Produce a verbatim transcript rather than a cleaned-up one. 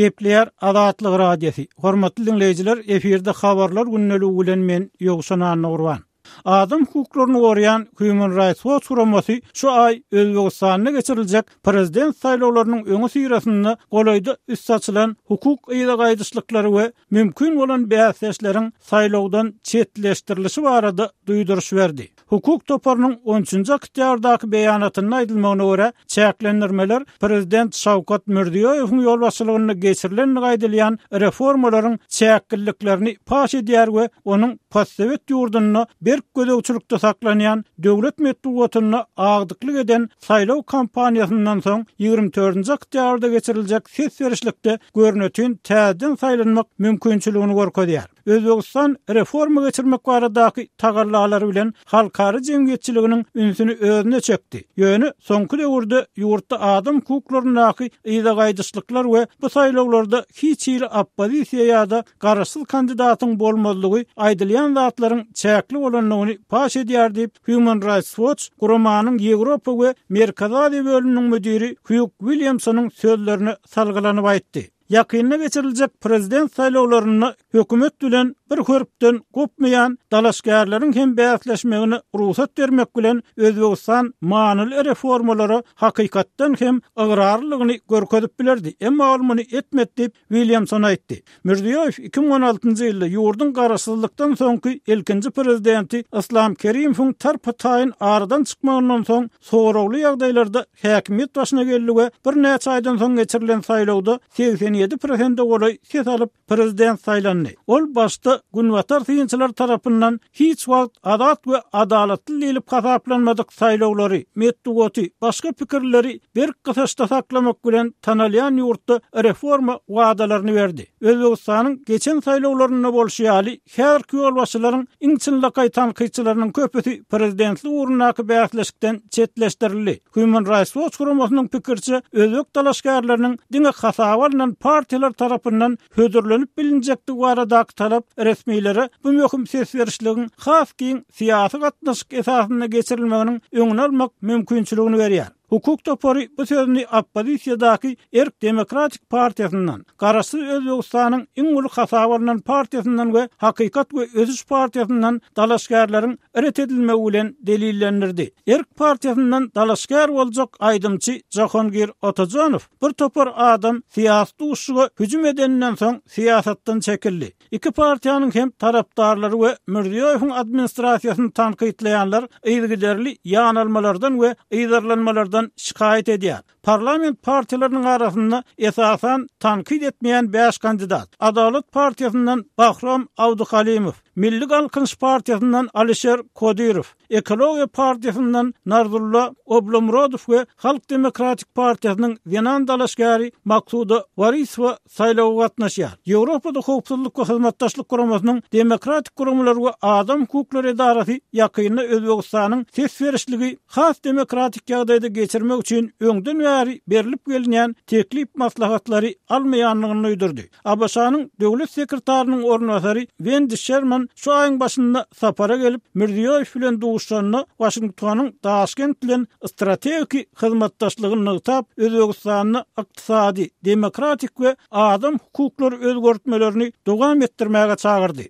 Gepleýär Azatlyk Radiosy. Hormatly dinleýjiler, efirde habarlar gündeligi bilen men Ýowşan Annagurban. Adam hukuklaryny goraýan Human Rights Watch guramasy şu aý Özbegistanda geçiriljek prezident saýlawlarynyň öňi syrasynda golaýda üst açylan hukuk yza gaýdyşlyklary we mümkin bolan bäsdeşleriň saýlawdan çetleşdirilişi barada duýduryş berdi. Hukuk toparynyň on üçünji oktýabrdaky beýanatynda aýdylmagyna görä, çäklendirmeler prezident Şawkat Mirziýoýewiň ýolbaşçylygynda geçirilen aýdylýan reformalaryň çäkliliklerini paş edýär we onuň postsowet ýurdunda berk gözegçilikde saklanýan döwlet metbugatynda agdyklyk eden saýlaw kampaniýasyndan soň ýigrimi dördünji oktýabrda geçiriljek ses berişlikde görnütün täzeden saýlanmak mümkinçiligini görkezýär. Özbegistan reforma geçirmek baradaky tagallalary bilen halkara jemgyýetçiliginiň ünsüni özüne çekdi. Ýöne soňky döwürde ýurtda adam hukuklaryndaky yza gaýdyşlyklar we bu saýlawlarda hiç hili oppozisiýa ýa-da garaşsyz kandidatyň bolmazlygy aýdylýan zatlaryň çäkli bolandygyny paş edýär diýip Human Rights Watch guramanyň Ýewropa we Merkezi Aziýa bölüminiň müdiri Hugh Williamsonyň sözlerine salgylanyp aýtdy. Ýakynda geçiriljek prezident saýlawlarynda hökümet bilen bir hörpden gopmaýan dalaşgärleriň hem bäsleşmegine rugsat bermek bilen Özbegistan manyly reformalara hakykatdan hem ygrarlylygyny görkezip bilerdi. Emma ol muny etmedi diýip Williamson aýtdy. Mirziýoýew iki müň on altynjy ýylda ýurduň garaşsyzlykdan soňky ilkinji prezidenti Islam Kerimowyň tarpa-taýyn aradan çykmagyndan soň soragly ýagdaýlarda häkimiýet başyna geldi we birnäçe aýdan soň geçirilen saýlawda segsen ýedi prosente golaý ses alyp prezident saýlandy. Ol başda Günbatar synçylar tarapyndan hiç wagt azat we adalatly diýlip hasaplanmadyk saýlawlary, metbugaty, başga pikirleri berk gysaçda saklamak bilen tanalýan ýurtda reforma wadalaryny berdi. Özbegistanyň geçen saýlawlarynda bolşy ýaly, häzirki ýolbaşçylaryň iň çynlakaý tankytçylarynyň köpüsi prezidentlik ugrundaky bäsleşikden çetleşdirildi. Human Rights Watch guramasynyň pikirçe, özbek dalaşgärleriniň diňe hasaba alnan partiýalar tarapyndan hödürlenip bilinjekdigi baradaky talap resmilere bu möhüm ses berişligiň has giň syýasy gatnaşyk esasynda geçirilmeginiň öňüni almak mümkinçiligini berýär. Hukuk topary bu sözüni oppozisiýadaky Erk Demokratik partiýasyndan, Garaşsyz Özbegistanyň iň uly hasaba alnan partiýasyndan we Hakykat we Ösüş partiýasyndan dalaşgärleriň ret edilmegi bilen delillendirdi. Erk partiýasyndan dalaşgär boljak aýdymçy Jahongir Otajanow bir topar adam syýasy duşuşyga hüjüm edeninden soň syýasatdan çekildi. Iki partiýanyň hem tarapdarlary we Mirziýoýewiň administrasiýasyny tankytlaýanlar yzygiderli ýanalmalardan we yzarlanmalardan şikaýat edýär. Parlament partiýalarynyň arasynda esasan tankyt etmeýän bäş kandidat: Adalat partiýasyndan Bahrom Abduhalimow, Milli Galkynyş partiýasyndan Alişer Kodirow, Ekologiýa partiýasyndan Narzulla Oblomrodow we Halk Demokratik partiýasynyň zenan dalaşgäri Maksuda Warisowa saýlawa gatnaşýar. Ýewropada Howpsuzlyk we Hyzmatdaşlyk guramasynyň Demokratik guramalar we Adam hukuklary edarasy ýakynda Özbegistanyň ses berişligi has demokratik ýagdaýda geçirmek üçin öňden bäri berilip gelinýän teklip maslahatlary almaýandygyny duýdurdy. A B Ş-nyň döwlet sekretarynyň orunbasary Wendy Sherman şu aýyň başynda sapara gelip Mirziýoýew bilen duşuşanda Waşingtonyň Daşkent bilen strategik hyzmatdaşlygyny nygtap Özbegistanda ykdysady, demokratik we adam hukuklary özgertmelerini dowam etdirmäge çagyrdy.